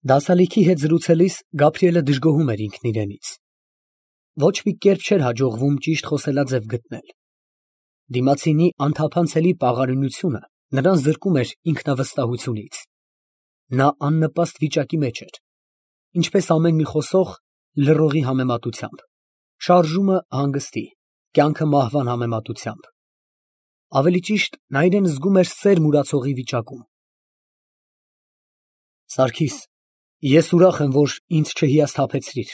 Դասալիքի հետ զրուցելիս Գաբրիելը դժգոհում էր ինքն իրենից։ Ոչ մի կերպ չէր հաջողվում ճիշտ խոսելաձև գտնել։ Դիմացինի անթափանցելի պաղարինությունը նրան զրկում էր ինքնավստահությունից։ Նա աննպաստ վիճակի մեջ էր, ինչպես ամեն մի խոսող լռողի համեմատությամբ, շարժումը հանգստի, կյանքը մահվան համեմատությամբ։ Ավելի ճիշտ, նա իրեն զգում էր սեր մուրացողի վիճակում։ Սարգիս, ես ուրախ եմ, որ ինձ չհիասթափեցրիր։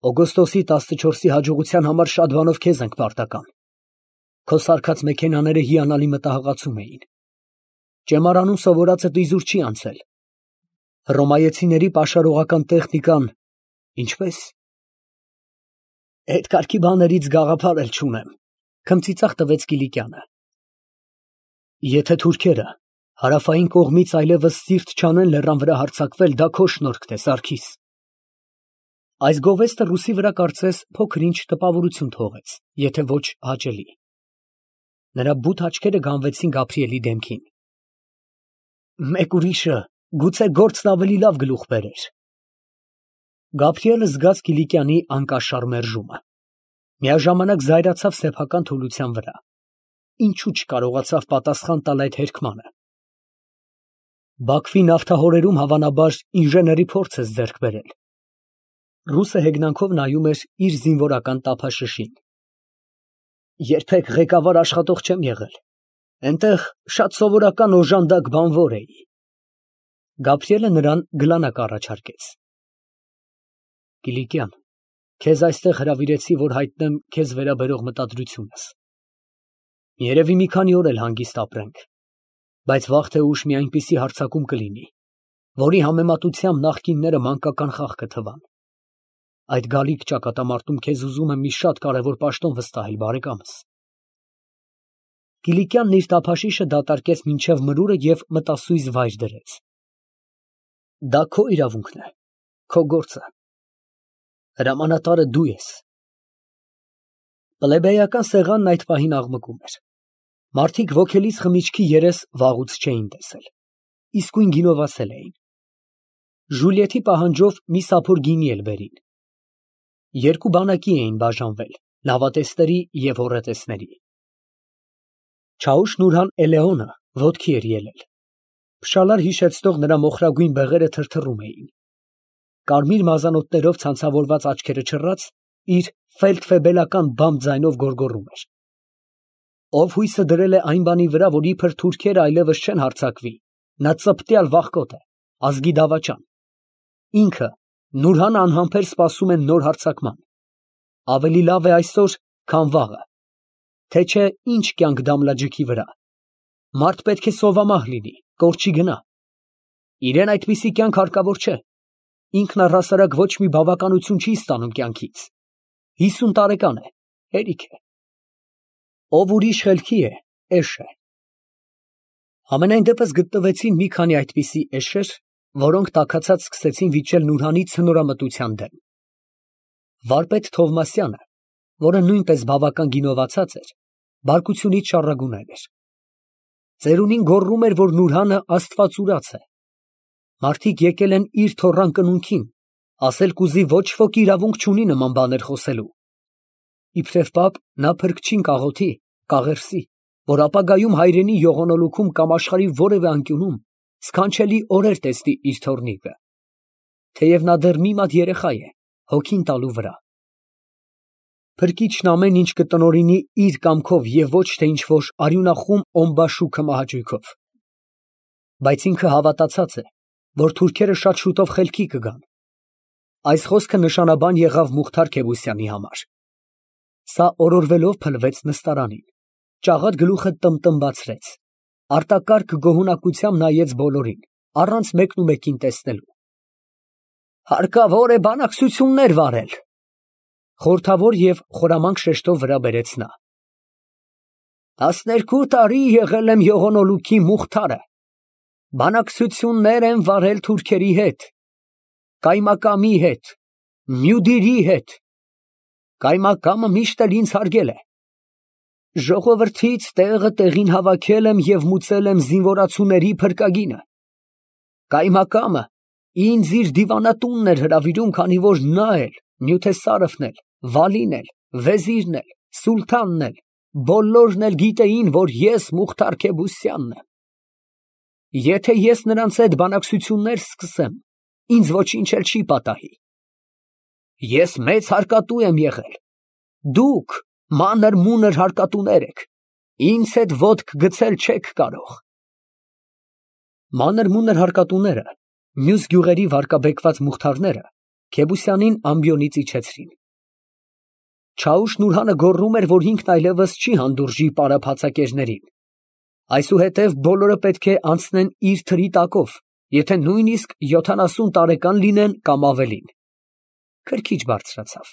Օգոստոսի 14-ի հաջողության համար շատ բանով քեզ ենք պարտական։ Քո սարքած մեքենաները հիանալի մտահղացում էին։ Ճեմարանում սովորածդ իզուր չի անցել։ Հռոմայեցիների պաշարողական տեխնիկան, ինչպես։ Այդ կարգի բաներից գաղափար էլ չունեմ, քմծիծաղ տվեց Կիլիկյանը։ Եթե թուրքերը հարավային կողմից այլևս սիրտ չանեն լեռան վրա հարձակվել, դա քո շնորհքն է, Սարգիս։ Այս գովեստը ռուսի վրա կարծես փոքր-ինչ տպավորություն թողեց, եթե ոչ հաճելի։ Նրա բութ աչքերը գանվեցին Գաբրիելի դեմքին։ Մեկ ուրիշը գուցե գործն ավելի լավ գլուխ բերեր։ Գաբրիելը զգաց Կիլիկյանի անկաշար մերժումը։ Միաժամանակ զայրացավ սեփական թուլության վրա։ Ինչու չկարողացավ պատասխան տալ այդ հերքմանը։ Բաքվի նավթահորերում հավանաբար ինժեների փորձ ես ձեռք բերել։ Ռուսը հեգնանքով նայում էր իր զինվորական տափաշշին։ Երբեք ղեկավար աշխատող չեմ եղել։ Այնտեղ շատ սովորական օժանդակ բանվոր էի։ Գաբրիելը նրան գլանակ առաջարկեց։ Կիլիկյան, քեզ այստեղ հրավիրեցի, որ հայտնեմ քեզ վերաբերող մտադրությունս։ Երևի մի քանի օր էլ հանգիստ ապրենք, բայց վաղ թե ուշ մի այնպիսի հարձակում կլինի, որի համեմատությամբ նախկինները մանկական խաղ կթվան։ Այդ գալիք ճակատամարտում քեզ ուզում եմ մի շատ կարևոր պաշտոն վստահել, բարեկամս։ Կիլիկյանն իր տափաշիշը դատարկեց մինչև մրուրը և մտասույզ վայր դրեց։ Դա քո իրավունքն է, քո գործը։ Հրամանատարը դու ես։ Պլեբեյական սեղանն այդ պահին աղմկում էր։ Մարդիկ ոգելից խմիչքի երես վաղուց չէին տեսել, իսկույն գինովացել էին։ Ժուլիետի պահանջով մի սափոր գինի էլ բերին։ Երկու բանակի էին բաժանվել, լավատեսների և հոռետեսների։ Չաուշ Նուրհան Էլեոնը ոտքի էր ելել։ Փշալար հիշեցնող նրա մոխրագույն բեղերը թրթռում էին։ Կարմիր մազանոթներով ցանցավորված աչքերը չռած, իր ֆելդֆեբելական բամբ ձայնով գոռգոռում էր։ Ով հույսը դրել է այն բանի վրա, որ իբր թուրքերը այլևս չեն հարձակվի, նա ծպտյալ վախկոտ է, ազգի դավաճան։ Ինքը Նուրհան անհամբեր սպասում են նոր հարձակման։ Ավելի լավ է այսօր, քան վաղը։ Թե չէ ինչ կյանք Դամլաջիքի վրա։ Մարդ պետք է սովամահ լինի, կորչի գնա։ Իրեն այդպիսի կյանք հարկավոր չէ։ Ինքն առհասարակ ոչ մի բավականություն չի ստանում կյանքից։ 50 տարեկան է, հերիք է։ Ով ուրիշ խելքի է, էշ է։ Համենայն դեպս գտնվեցին մի քանի այդպիսի էշեր, որոնք տաքացած սկսեցին վիճել Նուրհանի ցնորամտության դեմ։ Վարպետ Թովմասյանը, որը նույնպես բավական գինովացած էր, բարկությունից շառագունել էր։ Ծերունին գոռում էր, որ Նուրհանը աստվածուրաց է։ Մարդիկ եկել են իր թոռան կնունքին, ասել կուզի ոչ ոք իրավունք չունի նման բաներ խոսելու։ Իբրև պապ նա փրկչին կաղոթի, կաղերսի, որ ապագայում հայրենի յողոնոլուքում կամ աշխարհի որևէ անկյունում սքանչելի օրեր տեսնի իր թոռնիկը, թեև նա դեռ մի մատ երեխա է, հոգին տալու վրա։ Փրկիչն ամեն ինչ կտնօրինի իր կամքով և ոչ թե ինչ-որ արյունախում օմբաշուքը մահաճույքով։ Բայց ինքը հավատացած է, որ թուրքերը շատ շուտով խելքի կգան։ Այս խոսքը նշանաբան եղավ Մուխթար Քեբուսյանի համար։ Սա օրորվելով փլվեց նստարանին, ճաղատ գլուխը տմտմբացրեց, արտակարգ գոհունակությամբ նայեց բոլորին, առանց մեկնումեկին տեսնելու։ Հարկավոր է բանակցություններ վարել, խորհրդավոր և խորամանկ շեշտով վրա բերեց նա։ 12 տարի եղել եմ յողոնոլուքի Մուխթարը, բանակցություններ եմ վարել թուրքերի հետ, Կայմակամի հետ, Մյուդիրի հետ, Կայմակամը միշտ էլ ինձ հարգել է։ Ժողովրդից տեղը տեղին հավաքել եմ և մուծել եմ զինվորացուների փրկագինը։ Կայմակամը Ինձ իր դիվանատունն էր հրավիրում, քանի որ նա էլ, Նյութեսարովն էլ, Վալին էլ, վեզիրն էլ, սուլթանն էլ, բոլորն էլ գիտեին, որ ես Մուխթար Քեբուսյանն եմ։ Եթե ես նրանց հետ բանակցություններ սկսեմ, ինձ ոչինչ էլ չի պատահի։ Ես մեծ հարկատու եմ եղել, դուք մանր-մունր հարկատուներ եք, ինձ հետ ոտք գցել չեք կարող։ Մանր-մունր հարկատուները, մյուս գյուղերի վարկաբեկված մուխթարները Քեբուսյանին ամբիոնից իջեցրին։ Չաուշ֊Նուրհանը գոռում էր, որ ինքն այլևս չի հանդուրժի պարապհացակերներին, այսուհետև բոլորը պետք է անցնեն իր թրի տակով, եթե նույնիսկ 70 տարեկան լինեն կամ ավելին։ Քրքիջ բարձրացավ։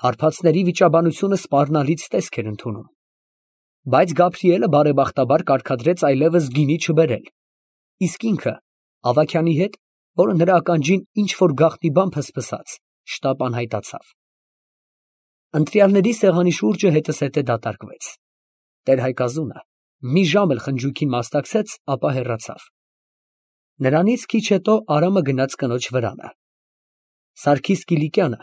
Հարբածների վիճաբանությունը սպառնալից տեսք էր ընդունում։ Բայց Գաբրիելը բարեբախտաբար կարգադրեց այլևս գինի չբերել, իսկ ինքը Ավագյանի հետ, որը նրա ականջին ինչ որ գաղտնի բան փսփսաց, շտապ անհայտացավ։ Ընտրյալների սեղանի շուրջը հետզհետե դատարկվեց։ Տեր-Հայկազունը մի ժամ էլ խնջույքին մասնակցեց, ապա հեռացավ։ Նրանից քիչ հետո Արամը գնաց կնոջ վրանը։ Սարգիս Կիլիկյանը,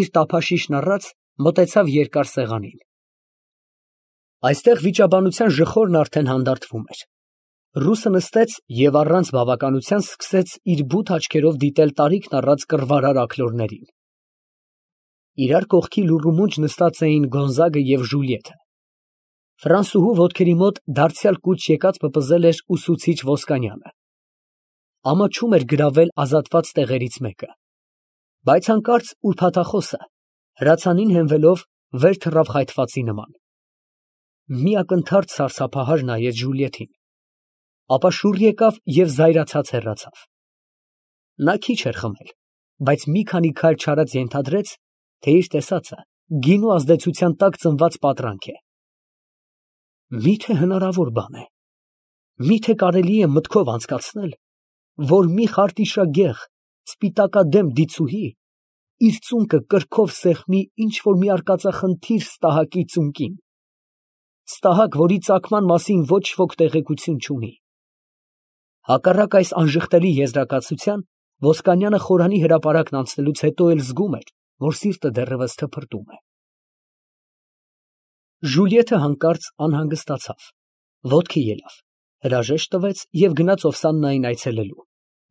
իր տափաշիշն առած, մոտեցավ երկար սեղանին։ Այստեղ վիճաբանության ժխորն արդեն հանդարտվում էր։ Ռուսը նստեց և առանց բավականության սկսեց իր բութ աչքերով դիտել տարիքն առած կռվարար աքլորներին։ Իրար կողքի լուռումունջ նստած էին Գոնզագը և Ժուլիետը։ Ֆրանսուհու ոտքերի մոտ դարձյալ կուչ եկած պպզել էր ուսուցիչ Ոսկանյանը։ Ամաչում էր գրավել ազատված տեղերից մեկը։ Բայց հանկարծ ուրբաթախոսը, հրացանին հենվելով, վեր թռավ խայթվածի նման։ Մի ակնթարթ սարսափահար նայեց Ժուլիետին, ապա շուռ եկավ և զայրացած հեռացավ։ Նա քիչ էր խմել, բայց մի քանի քայլ չարած ենթադրեց, թե իր տեսածը գինու ազդեցության տակ ծնված պատրանք է։ Մի՞թե հնարավոր բան է, մի՞թե կարելի է մտքով անցկացնել, որ մի խարտիշագեղ, սպիտակադեմ դիցուհի իր ծունկը կրքով սեղմի ինչ որ մի արկածախնդիր ստահակի ծունկին, ստահակ, որի ծագման մասին ոչ ոք տեղեկություն չունի։ Հակառակ այս անժխտելի եզրակացության, Ոսկանյանը խորանի հրապարակն անցնելուց հետո էլ զգում էր, որ սիրտը դեռևս թփրտում է։ Ժուլիետը հանկարծ անհանգստացավ, ոտքի ելավ, հրաժեշտ տվեց և գնաց Օվսաննային այցելելու,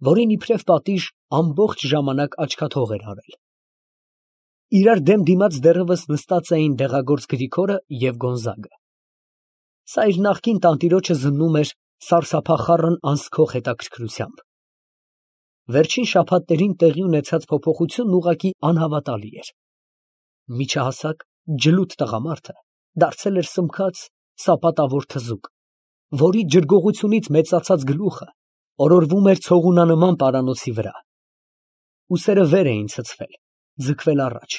որին իբրև պատիժ ամբողջ ժամանակ աչքաթող էր արել։ Իրար դեմ դիմաց դեռևս նստած էին դեղագործ Գրիգորը և Գոնզագը։ Սա իր նախկին տանտիրոջը զննում էր սարսափախառն անսքող հետաքրքրությամբ։ Վերջին շաբաթներին տեղի ունեցած փոփոխությունն ուղղակի անհավատալի էր։ Միջահասակ, ջլութ տղամարդը դարձել էր սմքած, սապատավոր թզուկ, որի ջրգողությունից մեծացած գլուխը օրորվում էր ցողունանման պարանոցի վրա։ Ուսերը վեր էին ցցվել, ձգվել առաջ,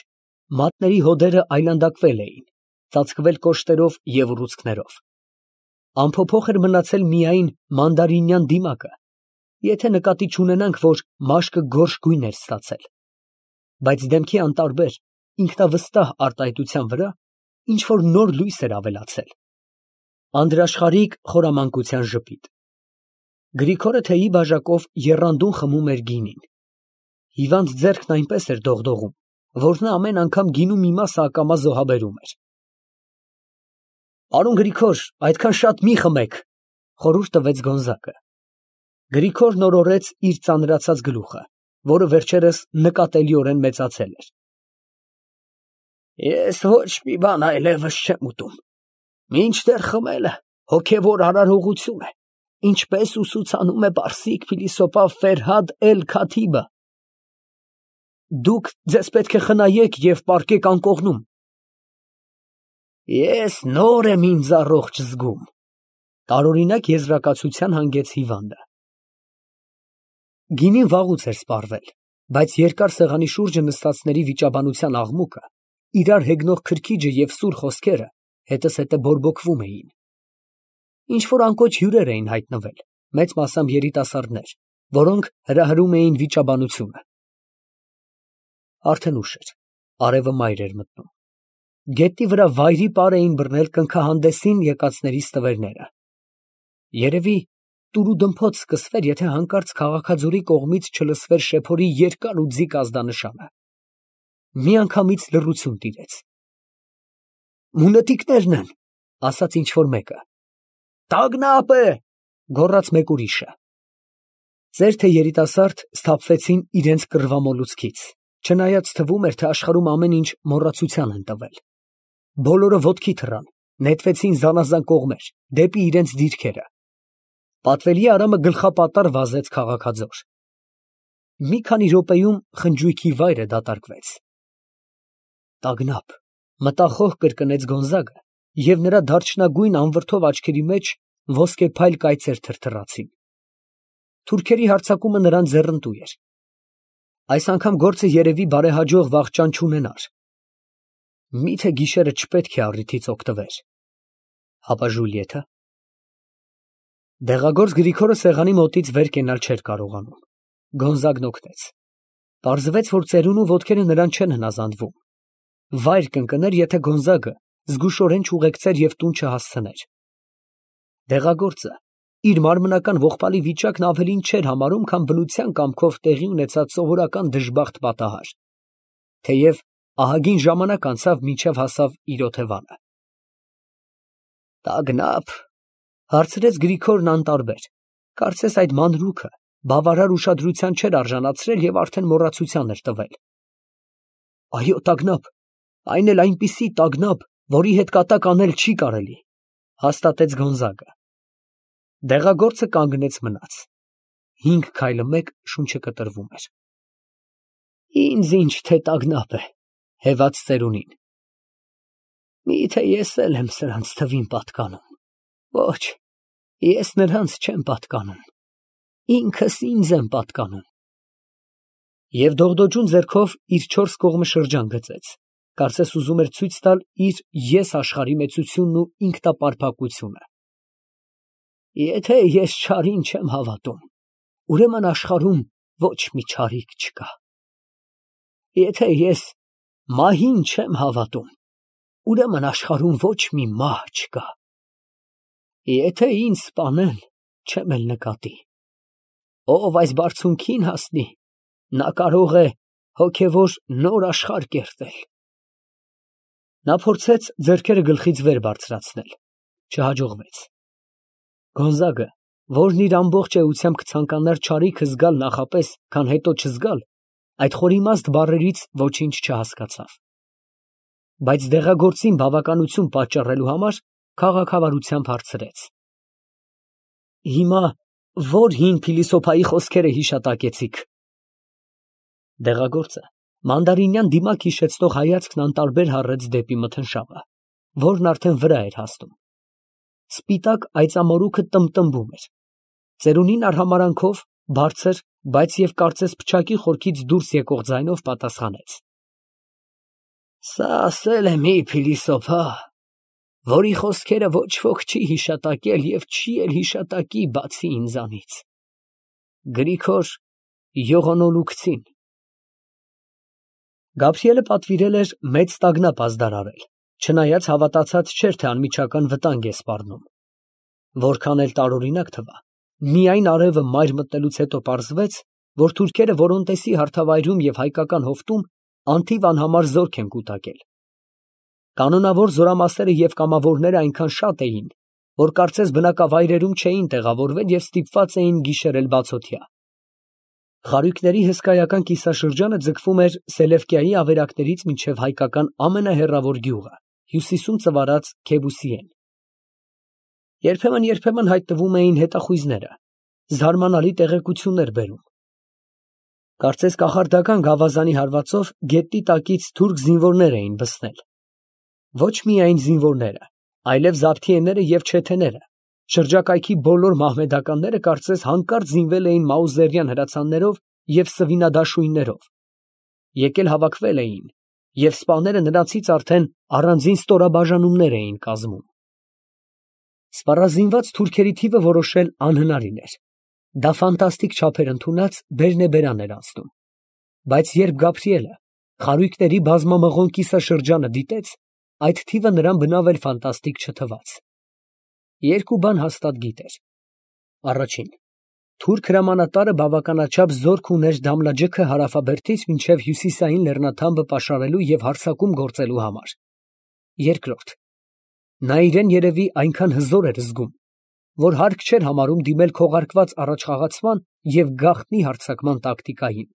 մատների հոդերը այլանդակվել էին, ծածկվել կոշտերով և ուռուցքներով։ Անփոփոխ էր մնացել միայն մանդարինյան դիմակը, եթե նկատի չունենանք, որ մաշկը գորշ գույն էր ստացել, բայց դեմքի անտարբեր, ինքնավստահ արտահայտության վրա ինչ որ նոր լույս էր ավելացել, անդրաշխարհիկ խորամանկության ժպիտ։ Գրիգորը թեյի բաժակով եռանդուն խմում էր գինին։ Հիվանդ ձեռքն այնպես էր դողդողում, որ նա ամեն անգամ գինու մի մասը ակամա զոհաբերում էր։ «Պարոն Գրիգոր, այդքան շատ մի խմեք», ֊ խորհուրդ տվեց Գոնզագը։ Գրիգորն օրորեց իր ծանրացած գլուխը, որը վերջերս նկատելիորեն մեծացել էր։ Ես ոչ մի բան այլևս չեմ ուտում, մինչդեռ խմելը հոգևոր արարողություն է, ինչպես ուսուցանում է պարսիկ փիլիսոփա Ֆերհադ Էլ-Քաթիբը։ Դուք ձեզ պետք է խնայեք և պառկեք անկողնում։ Ես նոր եմ ինձ առողջ զգում, տարօրինակ եզրակացության հանգեց հիվանդը։ Գինին վաղուց էր սպառվել, բայց երկար սեղանի շուրջը նստածների վիճաբանության աղմուկը, իրար հեգնող քրքիջը և սուր խոսքերը հետզհետե բորբոքվում էին։ Ինչ որ անկոչ հյուրեր էին հայտնվել, մեծ մասամբ երիտասարդներ, որոնք հրահրում էին վիճաբանությունը։ Արդեն ուշ էր, արևը մայր էր մտնում։ Գետնի վրա վայրի պար էին բռնել կնքահանդեսին եկածների ստվերները։ Երևի տուրուդմփոց սկսվեր, եթե հանկարծ քաղաքաձորի կողմից չլսվեր շեփորի երկար ու ձիգ ազդանշանը։ Միանգամից լռություն տիրեց։ «Մունետիկներն են», ասաց ինչ֊որ մեկը։ «Տագնապ է», գոռաց մեկ ուրիշը։ Ծեր թե երիտասարդ սթափվեցին իրենց կռվամոլուցքից, չնայած թվում էր, թե աշխարհում ամեն ինչ մոռացության են տվել։ Բոլորը ոտքի թռան, նետվեցին զանազան կողմեր, դեպի իրենց դիրքերը։ Պատվելի Արամը գլխապատառ վազեց քաղաքաձոր։ Մի քանի րոպեում խնջույքի վայրը դատարկվեց։ Տագնապ, մտախոհ կրկնեց Գոնզագը, և նրա դարչնագույն անվրդով աչքերի մեջ ոսկեփայլ կայծեր թրթռացին։ Թուրքերի հարձակումը նրան ձեռնտու էր։ Այս անգամ գործը երևի բարեհաջող վախճան չունենար։ Միթե գիշերը չպետք է առիթից օգտվեր։ Հապա Ժուլիեթը։ Դեղագործ Գրիգորը սեղանի մոտից վեր կենալ չէր կարողանում։ Գոնզագն օգնեց։ Պարզվեց, որ ծերունու ոտքերը նրան չեն հնազանդվում։ Վայր կընկներ, եթե Գոնզագը զգուշորեն չուղեկցեր և տուն չհասցներ։ Դեղագործը իր մարմնական ողբալի վիճակն ավելին չէր համարում, քան բնության կամքով տեղի ունեցած սովորական դժբախտ պատահար, թեև ահագին ժամանակ անցավ, մինչև հասավ իր օթևանը։ Տագնապ, հարցրեց Գրիգորն անտարբեր, կարծես այդ մանրուքը բավարար ուշադրության չէր արժանացրել և արդեն մոռացության էր տվել։ Այո, տագնապ, այն էլ այնպիսի տագնապ, որի հետ կատակ անել չի կարելի, հաստատեց Գոնզագը։ Դեղագործը կանգնեց մնաց։ 5 քայլը մեկ շունչը կտրվում էր։ Ինձ ինչ թե տագնապ է, հևաց ծերունին։ Միթե ես էլ եմ սրանց թվին պատկանում։ Ոչ, ես նրանց չեմ պատկանում, ինքս ինձ եմ պատկանում։ Եվ դողդոջուն ձեռքով իր 4 կողմը շրջան գծեց, կարծես ուզում էր ցույց տալ իր ես աշխարհի մեծությունն ու ինքնապարփակությունը։ Եթե ես չարին չեմ հավատում, ուրեմն աշխարհում ոչ մի չարիք չկա։ Եթե ես մահին չեմ հավատում, ուրեմն աշխարհում ոչ մի մահ չկա։ Եթե ինձ սպանեն, չեմ էլ նկատի։ Ով այս բարձունքին հասնի, նա կարող է հոգևոր նոր աշխարհ կերտել։ Նա փորձեց ձեռքերը գլխից վեր բարձրացնել, չհաջողվեց։ Գոնզագը, որն իր ամբողջ էությամբ կցանկանար չարիքը զգալ նախապես, քան հետո չզգալ, այդ խորիմաստ բառերից ոչինչ չհասկացավ։ Բայց դեղագործին բավականություն պատճառելու համար քաղաքավարությամբ հարցրեց. Հիմա ո՞ր հին փիլիսոփայի խոսքերը հիշատակեցիք։ Դեղագործը մանդարինյան դիմակ հիշեցնող հայացքն անտարբեր հառեց դեպի մթնշաղը, որն արդեն վրա էր հասնում։ Սպիտակ այծամորուքը տմտմբում էր։ Ծերունին արհամարանքով, բարձր, բայց և կարծես փչակի խորքից դուրս եկող ձայնով պատասխանեց. Սա ասել է մի փիլիսոփա, որի խոսքերը ոչ ոք չի հիշատակել և չի էլ հիշատակի բացի ինձանից։ Գրիգոր Յողոնոլուկցին։ Գաբրիելը պատվիրել էր մեծ տագնապ ազդարարել, չնայած հավատացած չէր, թե անմիջական վտանգ է սպառնում։ Որքան էլ տարօրինակ թվա, միայն արևը մայր մտնելուց հետո պարզվեց, որ թուրքերը Որոնտեսի հարթավայրում և հայկական հովտում անթիվ անհամար զորք են կուտակել։ Կանոնավոր զորամասերը և կամավորները այնքան շատ էին, որ կարծես բնակավայրերում չէին տեղավորվել և ստիպված էին գիշերել բացօթյա։ Խարույկների հսկայական կիսաշրջանը ձգվում էր Սելևկիայի ավերակներից մինչև հայկական ամենահեռավոր գյուղը, հյուսիսում ծվարած Քեբուսիեն։ Երբեմն հայտնվում էին հետախույզները, զարմանալի տեղեկություններ բերում։ Կարծես կախարդական գավազանի հարվածով գետնի տակից թուրք զինվորներ էին բսնել։ Ոչ միայն զինվորները, այլև զաբթիեները և չեթեները, շրջակայքի բոլոր մահմեդականները կարծես հանկարծ զինվել էին մաուզերյան հրացաններով և սվինադաշույններով, եկել հավաքվել էին, և սպաները նրանցից արդեն առանձին ստորաբաժանումներ էին կազմում։ Սպառազինված թուրքերի թիվը որոշել անհնարին էր։ Դա ֆանտաստիկ չափեր ընդունած բերնեբերան էր անցնում։ Բայց երբ Գաբրիելը խարույկների բազմամղոն կիսաշրջանը դիտեց, այդ թիվը նրան բնավ էլ ֆանտաստիկ չթվաց։ Երկու բան հաստատ գիտեր. Առաջին։ Թուրք հրամանատարը բավականաչափ զորք ուներ Դամլաջեքը հարավաբերդից մինչև հյուսիսային լեռնաթամբը պաշարելու և հարձակում գործելու համար։ Երկրորդ։ Նա իրեն երևի այնքան հզոր էր զգում, որ հարկ չէր համարում դիմել քողարկված առաջխաղացման և գաղտնի հարձակման տակտիկային։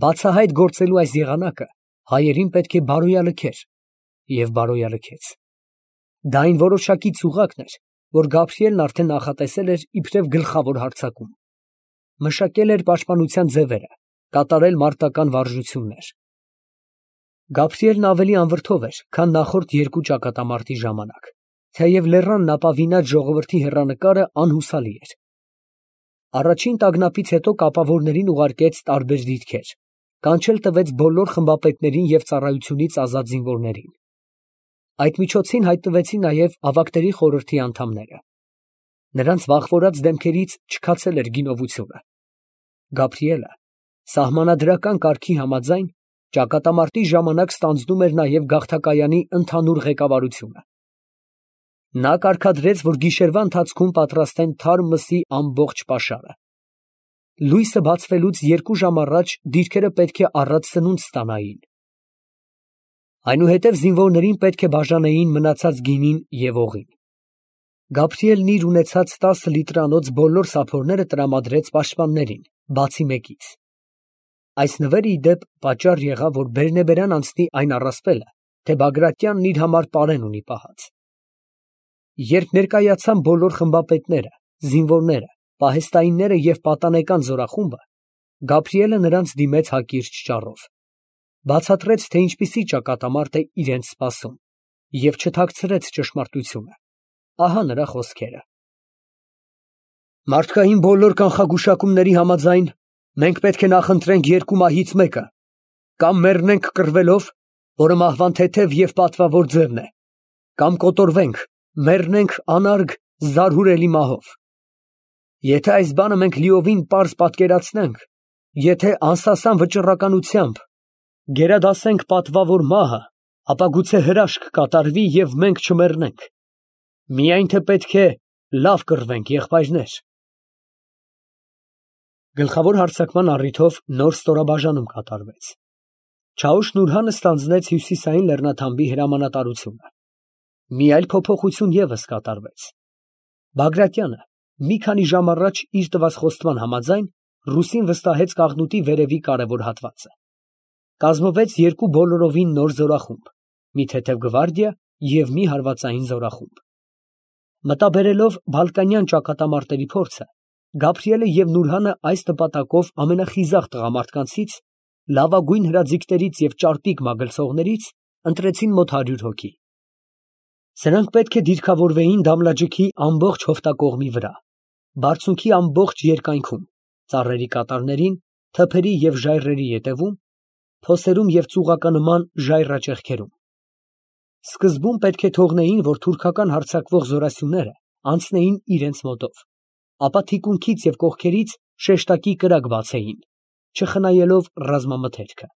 Բացահայտ գործելու այս եղանակը հայերին պետք է բարոյալքեր և բարոյալքեց։ Դա այն որոշակի ծուղակն էր, որ Գաբրիելն արդեն նախատեսել էր իբրև գլխավոր հարձակում։ Մշակել էր պաշտպանության ձևերը, կատարել մարտական վարժություններ։ Գաբրիելն ավելի անվրդով էր, քան նախորդ երկու ճակատամարտի ժամանակ, թեև լեռանն ապավինած ժողովրդի հեռանկարը անհուսալի էր։ Առաջին տագնապից հետո կապավորներին ուղարկեց տարբեր դիրքեր, կանչել տվեց բոլոր խմբապետերին և ծառայությունից ազատ զինվորներին։ Այդ միջոցին հայտնվեցին նաև ավագների խորհրդի անդամները։ Նրանց վախվորած դեմքերից չքացել էր գինովությունը։ Գաբրիելը սահմանադրական կարգի համաձայն ճակատամարտի ժամանակ ստանձնում էր նաև գաղթակայանի ընդհանուր ղեկավարությունը։ Նա կարգադրեց, որ գիշերվա ընթացքում պատրաստեն թարմ մսի ամբողջ պաշարը։ Լույսը բացվելուց 2 ժամ առաջ դիրքերը պետք է առատ սնունդ ստանային։ Այնուհետև զինվորներին պետք է բաժանեին մնացած գինին և օղին։ Գաբրիելն իր ունեցած 10 լիտրանոց բոլոր սափորները տրամադրեց պաշտպաններին, բացի մեկից։ Այս նվերը, ի դեպ, պատճառ եղավ, որ բերնեբերան անցնի այն առասպելը, թե Բագրատյանն իր համար պարեն ունի պահած։ Երբ ներկայացան բոլոր խմբապետները, զինվորները, պահեստայինները և պատանեկան զորախումբը, Գաբրիելը նրանց դիմեց հակիրճ ճառով։ Բացատրեց, թե ինչպիսի ճակատամարտ է իրենց սպասում և չթաքցրեց ճշմարտությունը։ Ահա նրա խոսքերը. Մարդկային բոլոր կանխագուշակումների համաձայն մենք պետք է նախընտրենք երկու մահից մեկը, կամ մեռնենք կռվելով, որը մահվան թեթև և պատվավոր ձևն է, կամ կոտորվենք, մեռնենք անարգ, զարհուրելի մահով։ Եթե այս բանը մենք լիովին պարզ պատկերացնենք, եթե անսասան վճռականությամբ գերադասենք պատվավոր մահը, ապա գուցե հրաշք կատարվի և մենք չմեռնենք։ Միայն թե պետք է լավ կռվենք, եղբայրներ։ Գլխավոր հարձակման առիթով նոր ստորաբաժանում կատարվեց։ Չաուշ֊Նուրհանը ստանձնեց հյուսիսային լեռնաթամբի հրամանատարությունը։ Մի այլ փոփոխություն ևս կատարվեց։ Բագրատյանը մի քանի ժամ առաջ իր տված խոստման համաձայն ռուսին վստահեց Կաղնուտի վերևի կարևոր հատվածը։ Կազմվեց 2 բոլորովին նոր զորախումբ, մի թեթև գվարդիա և մի հարվածային զորախումբ։ Մտաբերելով բալկանյան ճակատամարտերի փորձը, Գաբրիելը և Նուրհանը այս նպատակով ամենախիզախ տղամարդկանցից, լավագույն հրաձիգներից և ճարպիկ մագլցողներից ընտրեցին մոտ 100 հոգի։ Սրանք պետք է դիրքավորվեին Դամլաջեքի ամբողջ հովտակողմի վրա, բարձունքի ամբողջ երկայնքում, ծառերի կատարներին, թփերի և ժայռերի ետևում, փոսերում և ծուղականման ժայռաճեղքերում։ Սկզբում պետք է թողնեին, որ թուրքական հարձակվող զորասյուները անցնեին իրենց մոտով, ապա թիկունքից և կողքերից շեշտակի կրակ բացեին, չխնայելով ռազմամթերքը։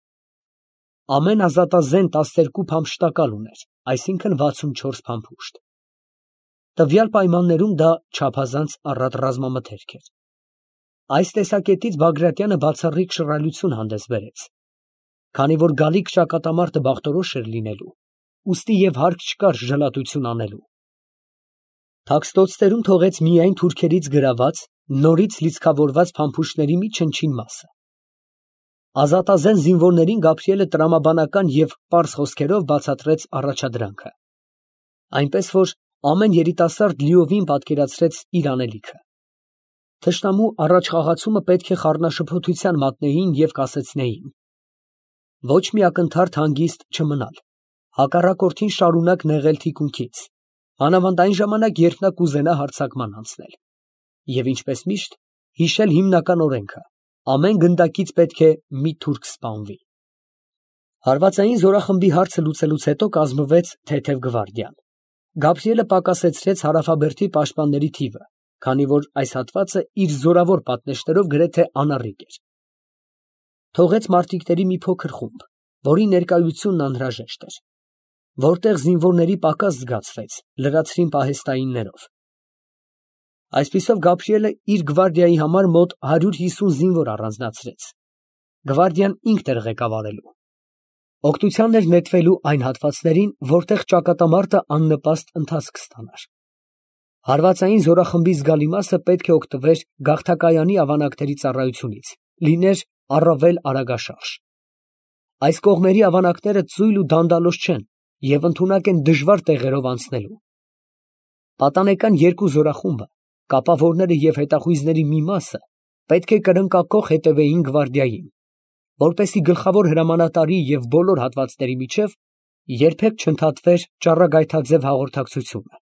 Ամեն ազատազեն 12 փամփշտակալ ուներ, այսինքն 64 փամփուշտ։ Տվյալ պայմաններում դա չափազանց առատ ռազմամթերք էր։ Այս տեսակետից Բագրատյանը բացառիկ շռայլություն հանդես բերեց։ Քանի որ գալիք ճակատամարտը բախտորոշ էր լինելու, ուստի և հարկ չկար ժլատություն անելու։ Թաքստոցներում թողեց միայն թուրքերից գրաված, նորից լիցքավորված փամփուշտների մի չնչին մասը։ Ազատազեն զինվորներին Գաբրիելը տրամաբանական և պարզ խոսքերով բացատրեց առաջադրանքը, այնպես որ ամեն երիտասարդ լիովին պատկերացրեց իր անելիքը։ Թշնամու առաջխաղացումը պետք է խառնաշփոթության մատնեին և կասեցնեին. ոչ մի ակնթարթ հանգիստ չմնալ, հակառակորդին շարունակ նեղել թիկունքից, մանավանդ այն ժամանակ, երբ նա կուզենա հարձակման անցնել, և ինչպես միշտ, հիշել հիմնական օրենքը. ամեն գնդակից պետք է մի թուրք սպանվի։ Հարվածային զորախմբի հարցը լուծելուց հետո կազմվեց թեթև գվարդիան։ Գաբրիելը պակասեցրեց հարավաբերդի պաշտպանների թիվը, քանի որ այս հատվածը իր զորավոր պատնեշներով գրեթե անառիկ էր։ Թողեց մարտիկների մի փոքր խումբ, որի ներկայությունն անհրաժեշտ էր։ Որտեղ զինվորների պակաս զգացվեց, լրացրին պահեստայիններով։ Այսպիսով Գաբրիելը իր գվարդիայի համար մոտ 150 զինվոր առանձնացրեց. գվարդիան ինքն էր ղեկավարելու։ Օգնության էր նետվելու այն հատվածներին, որտեղ ճակատամարտը աննպաստ ընթացք կստանար։ Հարվածային զորախմբի զգալի մասը պետք է օգտվեր գաղթակայանի ավանակների ծառայությունից, լիներ առավել արագաշարժ։ Այս կողմերի ավանակները ծույլ ու դանդալոշ չեն և ընդունակ են դժվար տեղերով անցնելու։ Պատանեկան երկու զորախումբը, կապավորները և հետախույզների մի մասը պետք է կրնկակոխ հետևեին գվարդիային, որպեսզի գլխավոր հրամանատարի և բոլոր հատվածների միջև երբեք չընդհատվեր ճառագայթաձև հաղորդակցությունը։